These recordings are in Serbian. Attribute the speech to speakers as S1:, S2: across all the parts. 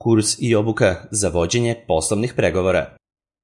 S1: Kurs i obuka za vođenje poslovnih pregovora.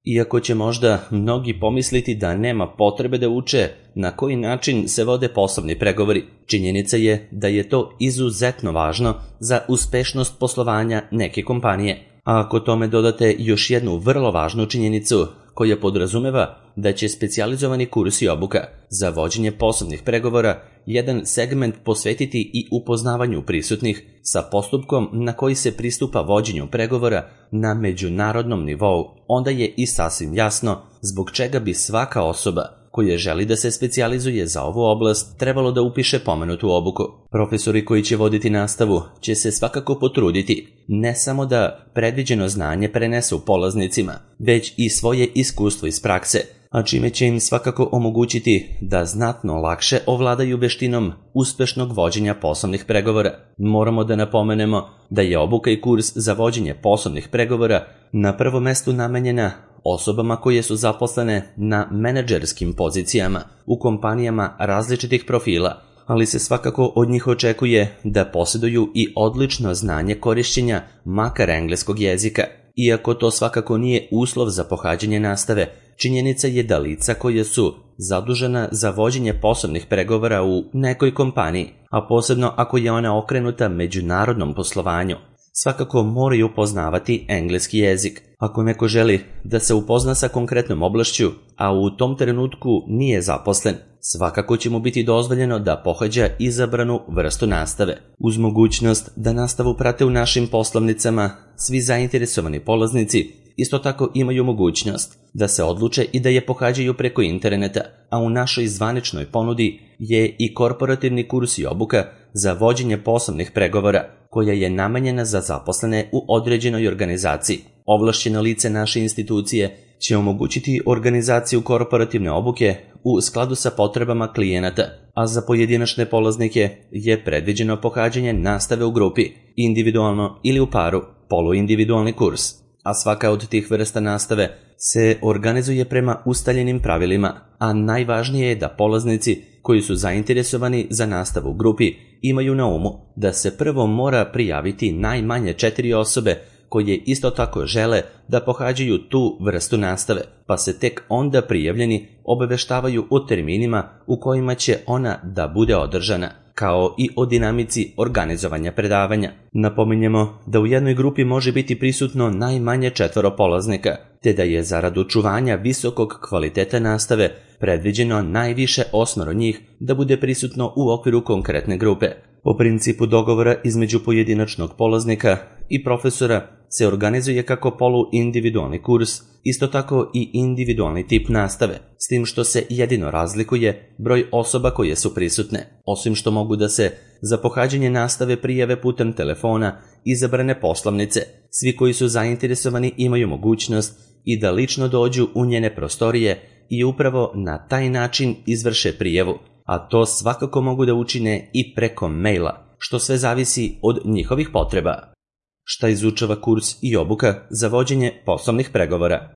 S1: Iako će možda mnogi pomisliti da nema potrebe da uče na koji način se vode poslovni pregovori, činjenica je da je to izuzetno važno za uspešnost poslovanja neke kompanije. A ako tome dodate još jednu vrlo važnu činjenicu koja podrazumeva da će specijalizovani kurs i obuka za vođenje poslovnih pregovora jedan segment posvetiti i upoznavanju prisutnih sa postupkom na koji se pristupa vođenju pregovora na međunarodnom nivou, onda je i sasvim jasno zbog čega bi svaka osoba koja želi da se specijalizuje za ovu oblast trebalo da upiše pomenutu obuku. Profesori koji će voditi nastavu će se svakako potruditi ne samo da predviđeno znanje prenesu polaznicima, već i svoje iskustvo iz prakse, a čime će im svakako omogućiti da znatno lakše ovladaju veštinom uspešnog vođenja poslovnih pregovora. Moramo da napomenemo da je obuka i kurs za vođenje poslovnih pregovora na prvom mestu namenjena osobama koje su zaposlene na menadžerskim pozicijama u kompanijama različitih profila, ali se svakako od njih očekuje da posjeduju i odlično znanje korišćenja makar engleskog jezika. Iako to svakako nije uslov za pohađanje nastave, činjenica je da lica koje su zadužena za vođenje poslovnih pregovora u nekoj kompaniji, a posebno ako je ona okrenuta međunarodnom poslovanju, svakako moraju poznavati engleski jezik. Ako neko želi da se upozna sa konkretnom oblašću, a u tom trenutku nije zaposlen, svakako će mu biti dozvoljeno da pohađa izabranu vrstu nastave. Uz mogućnost da nastavu prate u našim poslovnicama, svi zainteresovani polaznici isto tako imaju mogućnost da se odluče i da je pohađaju preko interneta, a u našoj zvaničnoj ponudi je i korporativni kurs i obuka za vođenje poslovnih pregovora, koja je namenjena za zaposlene u određenoj organizaciji. Ovlašćeno lice naše institucije će omogućiti organizaciju korporativne obuke u skladu sa potrebama klijenata, a za pojedinačne polaznike je predviđeno pohađanje nastave u grupi, individualno ili u paru, poluindividualni kurs, a svaka od tih vrsta nastave se organizuje prema ustaljenim pravilima, a najvažnije je da polaznici koji su zainteresovani za nastavu u grupi imaju na umu da se prvo mora prijaviti najmanje 4 osobe koje isto tako žele da pohađaju tu vrstu nastave, pa se tek onda prijavljeni obaveštavaju o terminima u kojima će ona da bude održana, kao i o dinamici organizovanja predavanja. Napominjemo da u jednoj grupi može biti prisutno najmanje 4 polaznika, te da je zarad očuvanja visokog kvaliteta nastave predviđeno najviše 8 njih da bude prisutno u okviru konkretne grupe. Po principu dogovora između pojedinačnog polaznika i profesora se organizuje kako poluindividualni kurs, isto tako i individualni tip nastave, s tim što se jedino razlikuje broj osoba koje su prisutne, osim što mogu da se za pohađanje nastave prijave putem telefona izabrane poslovnice. Svi koji su zainteresovani imaju mogućnost i da lično dođu u njene prostorije i upravo na taj način izvrše prijavu, a to svakako mogu da učine i preko maila, što sve zavisi od njihovih potreba. Šta izučava kurs i obuka za vođenje poslovnih pregovora?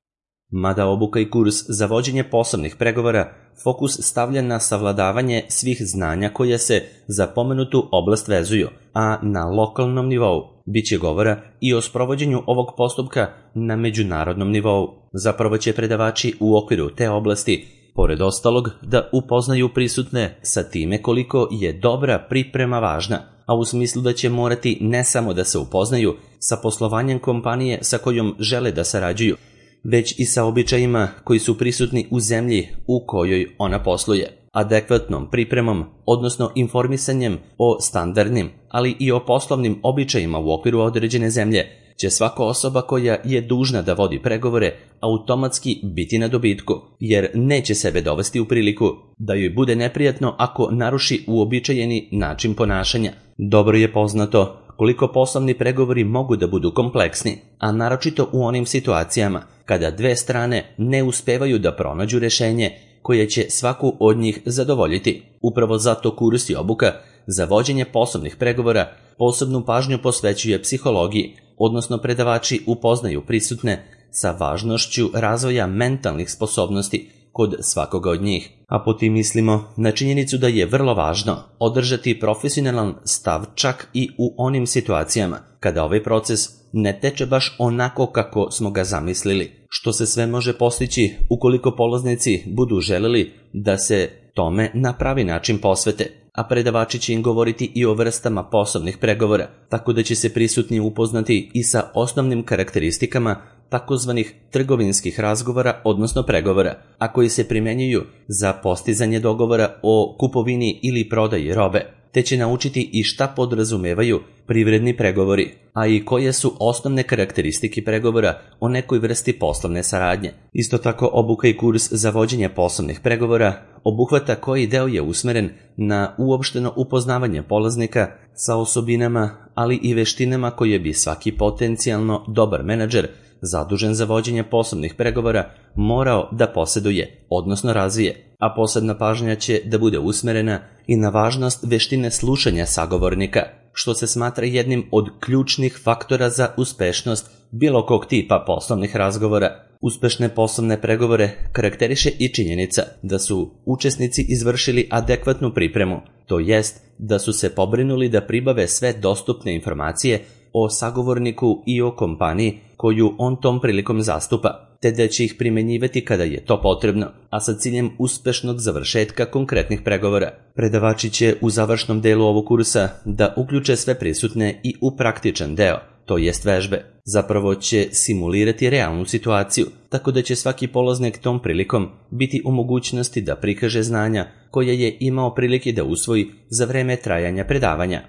S1: Mada obuka i kurs za vođenje poslovnih pregovora fokus stavlja na savladavanje svih znanja koje se za pomenutu oblast vezuju, a na lokalnom nivou biće govora i o sprovođenju ovog postupka na međunarodnom nivou. Zapravo će predavači u okviru te oblasti, pored ostalog, da upoznaju prisutne sa time koliko je dobra priprema važna, a u smislu da će morati ne samo da se upoznaju sa poslovanjem kompanije sa kojom žele da sarađuju, već i sa običajima koji su prisutni u zemlji u kojoj ona posluje. Adekvatnom pripremom, odnosno informisanjem o standardnim, ali i o poslovnim običajima u okviru određene zemlje, će svaka osoba koja je dužna da vodi pregovore automatski biti na dobitku, jer neće sebe dovesti u priliku da joj bude neprijatno ako naruši uobičajeni način ponašanja. Dobro je poznato koliko poslovni pregovori mogu da budu kompleksni, a naročito u onim situacijama kada dve strane ne uspevaju da pronađu rešenje koje će svaku od njih zadovoljiti. Upravo zato kurs i obuka za vođenje poslovnih pregovora posebnu pažnju posvećuje psihologiji, odnosno predavači upoznaju prisutne sa važnošću razvoja mentalnih sposobnosti kod svakoga od njih. A po tim mislimo na činjenicu da je vrlo važno održati profesionalan stav čak i u onim situacijama kada ovaj proces ne teče baš onako kako smo ga zamislili, što se sve može postići ukoliko polaznici budu želeli da se tome na pravi način posvete, a predavači će im govoriti i o vrstama poslovnih pregovora, tako da će se prisutni upoznati i sa osnovnim karakteristikama takozvanih trgovinskih razgovora, odnosno pregovora, a koji se primjenjuju za postizanje dogovora o kupovini ili prodaji robe, te će naučiti i šta podrazumevaju privredni pregovori, a i koje su osnovne karakteristike pregovora o nekoj vrsti poslovne saradnje. Isto tako, obuka i kurs za vođenje poslovnih pregovora obuhvata koji deo je usmeren na uopšteno upoznavanje polaznika sa osobinama, ali i veštinama koje bi svaki potencijalno dobar menadžer zadužen za vođenje poslovnih pregovora morao da poseduje, odnosno razvije, a posebna pažnja će da bude usmerena i na važnost veštine slušanja sagovornika, što se smatra jednim od ključnih faktora za uspešnost bilo kog tipa poslovnih razgovora. Uspešne poslovne pregovore karakteriše i činjenica da su učesnici izvršili adekvatnu pripremu, to jest da su se pobrinuli da pribave sve dostupne informacije o sagovorniku i o kompaniji koju on tom prilikom zastupa, te da će ih primenjivati kada je to potrebno, a sa ciljem uspešnog završetka konkretnih pregovora. Predavači će u završnom delu ovog kursa da uključe sve prisutne i u praktičan deo, to jest vežbe. Zapravo će simulirati realnu situaciju, tako da će svaki polaznik tom prilikom biti u mogućnosti da prikaže znanja koje je imao prilike da usvoji za vreme trajanja predavanja.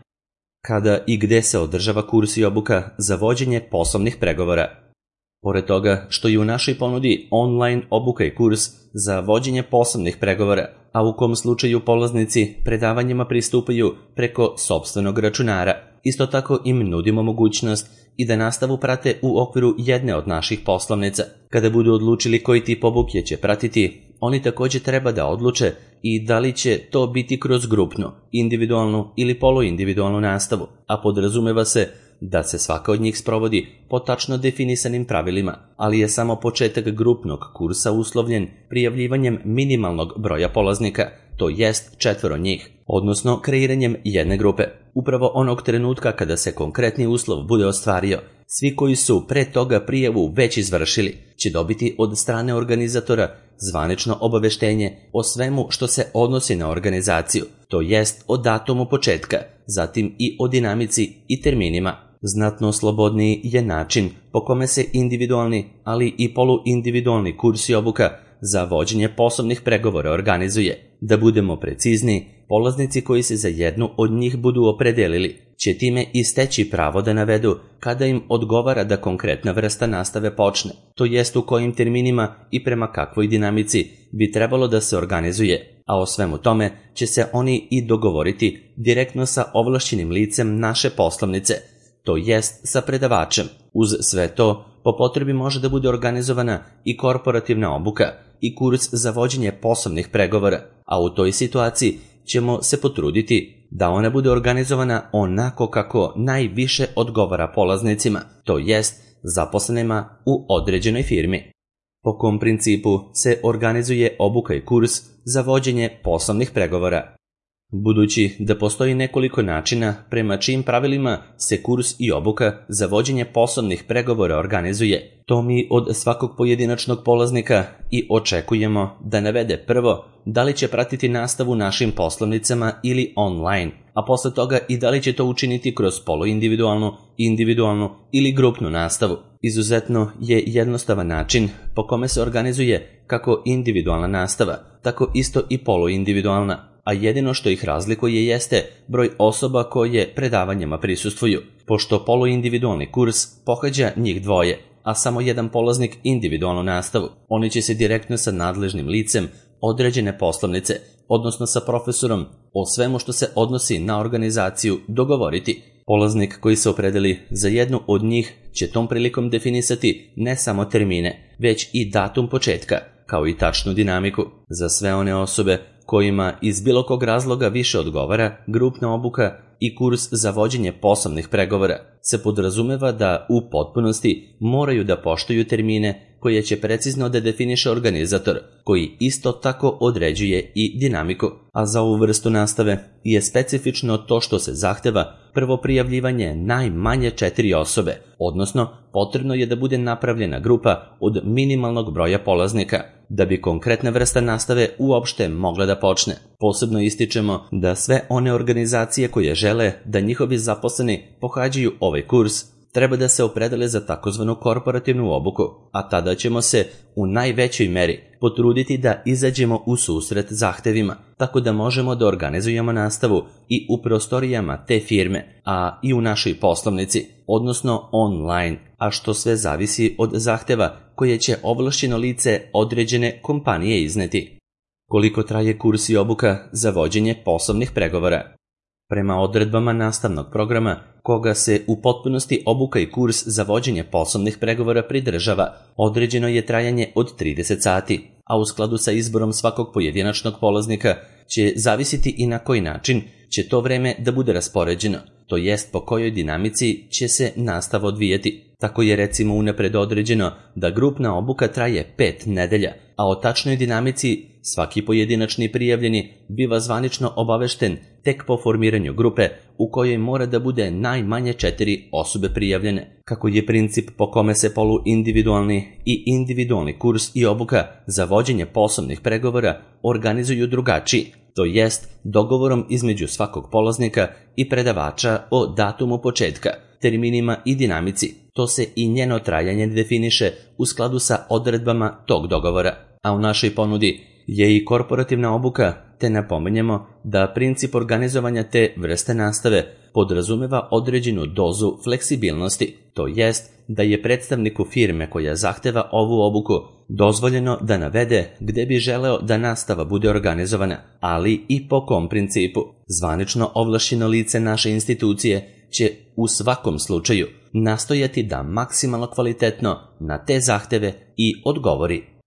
S1: Kada i gde se održava kurs i obuka za vođenje poslovnih pregovora? Pored toga što je u našoj ponudi online obuka i kurs za vođenje poslovnih pregovora, a u kom slučaju polaznici predavanjima pristupaju preko sopstvenog računara, isto tako im nudimo mogućnost i da nastavu prate u okviru jedne od naših poslovnica. Kada budu odlučili koji tip obuke će pratiti, oni također treba da odluče i da li će to biti kroz grupnu, individualnu ili poluindividualnu nastavu, a podrazumeva se da se svaka od njih sprovodi po tačno definisanim pravilima, ali je samo početak grupnog kursa uslovljen prijavljivanjem minimalnog broja polaznika, to jest 4 njih, odnosno kreiranjem jedne grupe. Upravo onog trenutka kada se konkretni uslov bude ostvario, svi koji su pre toga prijavu već izvršili će dobiti od strane organizatora zvanično obaveštenje o svemu što se odnosi na organizaciju, to jest o datumu početka, zatim i o dinamici i terminima. Znatno slobodniji je način po kome se individualni, ali i poluindividualni kurs i obuka za vođenje poslovnih pregovora organizuje. Da budemo precizni, polaznici koji se za jednu od njih budu opredelili će time i steći pravo da navedu kada im odgovara da konkretna vrsta nastave počne, to jest u kojim terminima i prema kakvoj dinamici bi trebalo da se organizuje, a o svemu tome će se oni i dogovoriti direktno sa ovlašćenim licem naše poslovnice, to jest sa predavačem. Uz sve to, po potrebi može da bude organizovana i korporativna obuka i kurs za vođenje poslovnih pregovora, a u toj situaciji ćemo se potruditi da ona bude organizovana onako kako najviše odgovara polaznicima, to jest zaposlenima u određenoj firmi. Po kom principu se organizuje obuka i kurs za vođenje poslovnih pregovora? Budući da postoji nekoliko načina prema čijim pravilima se kurs i obuka za vođenje poslovnih pregovora organizuje, to mi od svakog pojedinačnog polaznika i očekujemo da navede prvo da li će pratiti nastavu našim poslovnicama ili online, a posle toga i da li će to učiniti kroz poluindividualnu, individualnu ili grupnu nastavu. Izuzetno je jednostavan način po kome se organizuje kako individualna nastava, tako isto i poluindividualna, a jedino što ih razlikuje jeste broj osoba koje predavanjima prisustvuju, pošto poluindividualni kurs pohađa njih dvoje, a samo jedan polaznik individualnu nastavu. Oni će se direktno sa nadležnim licem određene poslovnice, odnosno sa profesorom, o svemu što se odnosi na organizaciju dogovoriti. Polaznik koji se opredeli za jednu od njih će tom prilikom definisati ne samo termine, već i datum početka, kao i tačnu dinamiku. Za sve one osobe kojima iz bilo kog razloga više odgovara grupna obuka i kurs za vođenje poslovnih pregovora, se podrazumeva da u potpunosti moraju da poštuju termine koje će precizno da definiše organizator, koji isto tako određuje i dinamiku. A za ovu vrstu nastave je specifično to što se zahteva prvo prijavljivanje najmanje 4 osobe, odnosno potrebno je da bude napravljena grupa od minimalnog broja polaznika, da bi konkretna vrsta nastave uopšte mogla da počne. Posebno ističemo da sve one organizacije koje žele da njihovi zaposleni pohađaju ovaj kurs treba da se opredele za takozvanu korporativnu obuku, a tada ćemo se u najvećoj meri potruditi da izađemo u susret zahtevima, tako da možemo da organizujemo nastavu i u prostorijama te firme, a i u našoj poslovnici, odnosno online, a što sve zavisi od zahteva koje će ovlašćeno lice određene kompanije izneti. Koliko traje kurs i obuka za vođenje poslovnih pregovora? Prema odredbama nastavnog programa, koga se u potpunosti obuka i kurs za vođenje poslovnih pregovora pridržava, određeno je trajanje od 30 sati, a u skladu sa izborom svakog pojedinačnog polaznika će zavisiti i na koji način će to vreme da bude raspoređeno, to jest po kojoj dinamici će se nastava odvijeti. Tako je recimo unapred određeno da grupna obuka traje 5 nedelja, a o tačnoj dinamici svaki pojedinačni prijavljeni biva zvanično obavešten tek po formiranju grupe u kojoj mora da bude najmanje 4 osobe prijavljene. Kako je princip po kome se poluindividualni i individualni kurs i obuka za vođenje poslovnih pregovora organizuju drugačiji, to jest dogovorom između svakog polaznika i predavača o datumu početka, terminima i dinamici, to se i njeno trajanje definiše u skladu sa odredbama tog dogovora. A u našoj ponudi je i korporativna obuka, te napominjemo da princip organizovanja te vrste nastave podrazumeva određenu dozu fleksibilnosti, to jest da je predstavniku firme koja zahteva ovu obuku dozvoljeno da navede gde bi želeo da nastava bude organizovana, ali i po kom principu. Zvanično ovlašćeno lice naše institucije će u svakom slučaju nastojati da maksimalno kvalitetno na te zahteve i odgovori.